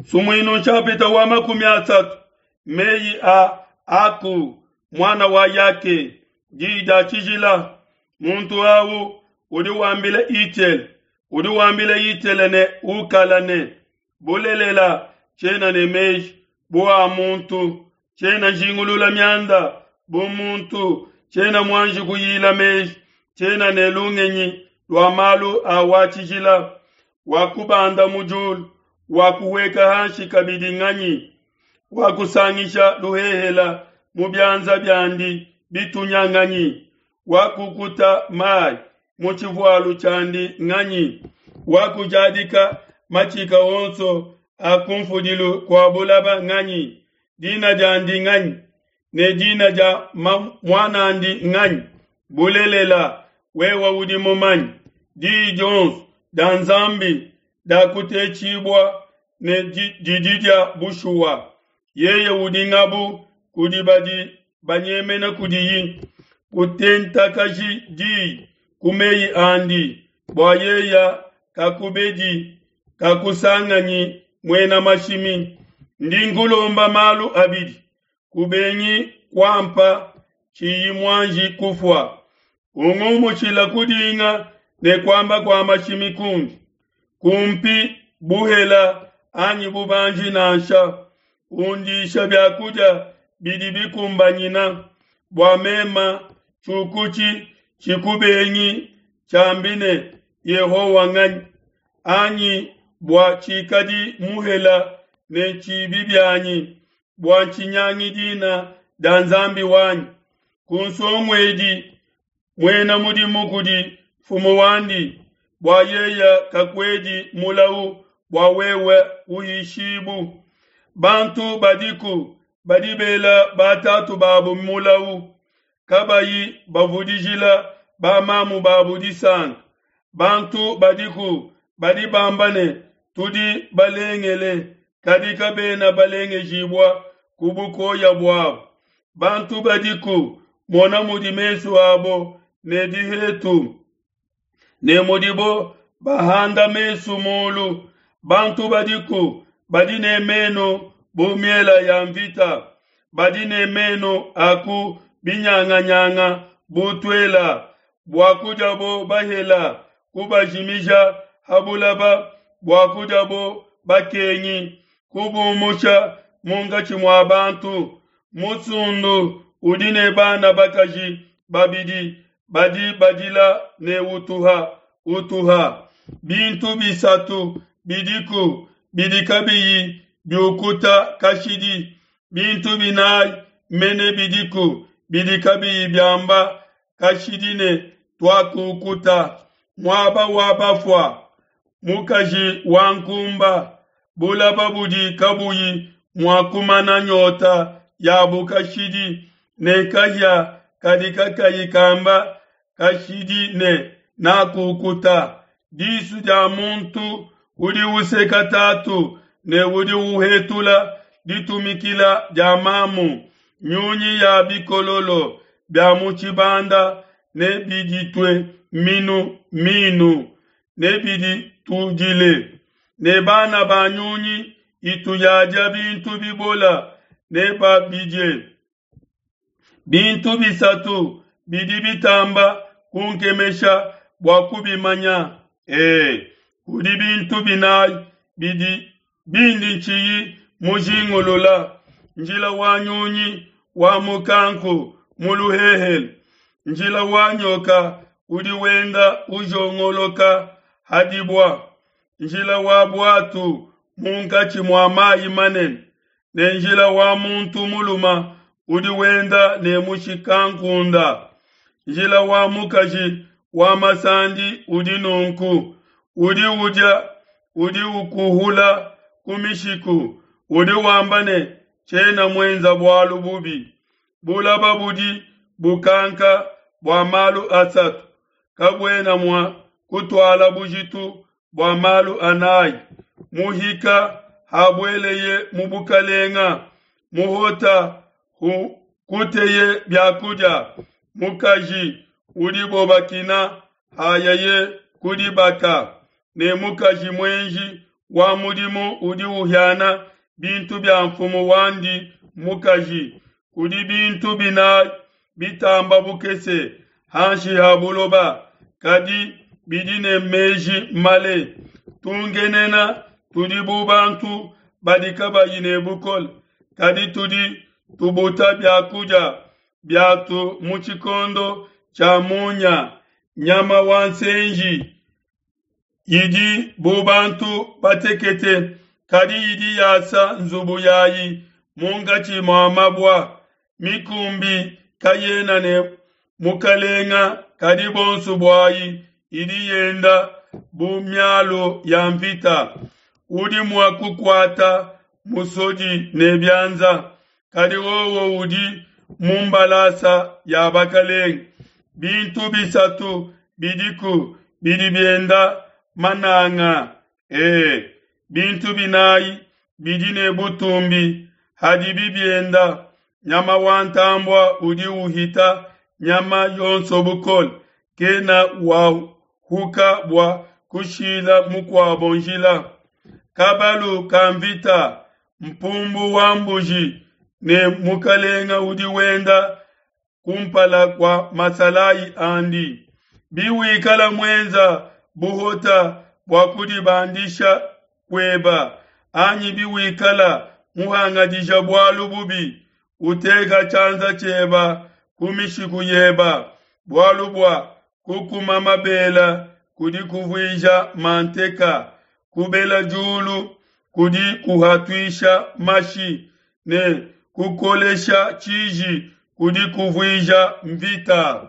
Sumuinu nshapita wa 30, meyi a Aku, muana wa Yake, diyi dia tshijila. Muntu au udi wambila Itiele, udi wambila Itiele ne Ukala ne, Bulelela, tshiena ne meji bu a muntu, tshiena njingulula mianda bu muntu, tshiena muanji kuyila meji, tshiena ne lungenyi lua malu a wa tshijila. Wakubanda mu diulu, wakuhueka hanshi kabidi nganyi? Wakusangisha luhehela mu bianza biandi bitunya nganyi? Wakukuta mai mu tshivualu tshiandi nganyi? Wakujadika matshika onso a kunfudilu kua bulaba nganyi? Dina diandi nganyi? Ne dina dia muan'andi nganyi? Bulelela, wewe udi mumanye. Diyi dionso dia Nzambi diakutetshibua ne didi dia bushuwa. Yeye udi ngabu kudi badi banyemena kudiyi. Kutentakaji diyi ku meyi andi, bua yeye kakubedi, kakusanganyi muena mashimi. Ndi nkulomba malu abidi, kubengi kuampa tshiyi muanji kufua. Ungumushila kudinga ne kuamba kua mashimi kundi. Kumpi buhela anyi bubanji nansha. Undisha biakudia bidi bikumbanyina, bua mema tshiukutshi tshikubengi tshiambi ne, Yehowa nganyi? Anyi bua tshikadi muhela ne tshibi bianyi, bua ntshinyangi dina dia Nzambi wanyi. Kunsonguedi muena mudimu kudi mfumu wandi, bua yeye kakuedi mulau bua wewe kuhishibu. Bantu badiku badi bela batatu babo mulau, kabayi bavudijila bamamu babo disanka. Bantu badiku badi bamba ne, Tudi balengele, kadi kabena balengejibua ku bukoya buabo. Bantu badiku mona mudi mesu abo ne dihetu, ne mudibo bahanda mesu mulu. Bantu badiku badi ne menu bu miela ya mvita, badi ne menu a ku binyanganyanga bu tuela, bua kudiabo bahela kubajimija ha bulaba, bua kudiabo bakengi kubumusha munkatshi mua bantu. Musundu udi ne bana bakaji babidi badi badila ne utuha utuha. Bintu bisatu bidiku bidi kabiyi biukuta kashidi, bintu binayi mene bidiku bidi kabiyi biamba kashidi ne, Tuakukuta. Muaba wa bafua, mukaji wa nkumba, bulaba budi kabuyi mua kumana nyota yabu kashidi, ne kahia kadi kakayi kamba kashidi ne, Nakukuta. Disu dia muntu udi useka tatu ne udi uhetula ditumikila dia mamu. Nyunyi ya bikololo bia mu tshibanda nebiditue minu minu, nebiditudile, ne bana ba nyunyi itu yadia bintu bibola nebabidie. Bintu bisatu bidi bitamba kunkemesha bua kubimanya. Ee, kudi bintu binayi bidi bindi ntshiyi mujingulula: njila wa nyunyi wa mukanku mu luhehele, njila wa nyoka udi wenda ujongoloka ha dibua, njila wa buatu munkatshi mua mayi manene, ne njila wa muntu mulume udi wenda ne mushikankunda. Njila wa mukaji wa masandi udi nunku: udi udia, udi ukuhula ku mishiku, udi wamba ne, Tshiena muenza bualu bubi. Bulaba budi bukanka bua malu asatu, kabuena mua kutuala bujitu bua malu anayi. Muhika habueleye mu bukalenga, muhota hukuteye biakudia, mukaji udibo bakina hayaye ku dibaka, ne mukaji muenji. wa mudimu udi uhiana bintu bia nfumu wandi mukaji. Kudi bintu binai bitamba bukese hanshi ha buloba, kadi bidi ne meji male. Tungenena tudi bu bantu badi kabayi ne bukole, kadi tudi tubuta bia kudia biatu mu tshikondo tshia munya. Nyama wa nsenji idi bu bantu batekete, kadi idi yasa nzubu yayi munkatshi mua mabua. Mikumbi kayena ne mukalenga, kadi bonso buayi idi yenda bu mialu ya mvita. Udi mua kukuata musodi ne bianza, kadi wowo udi mu mbalasa ya bakalenge. Bintu bisatu bidiku bidi bienda mananga, e, bintu binayi bidi ne butumbi hadibi bienda. Nyama wa ntambua udi uhita nyama yonso bukole, kena wahuka bua kushila mukuabo njila. Kabalu ka mvita, mpumbu wa mbuji ne mukalenga udi wenda kumpala kua masalayi andi. Biwikala muenza buhota bua kudibandisha kueba, anyi biwikala muhangadija bualu bubi, uteka tshianza tshieba ku mishiku yeba, bualu bua kukuma mabela kudi kuvuija manteka, kubela diulu kudi kuhatuisha mashi, ne kukolesha tshiji kudi kuvuija mvita.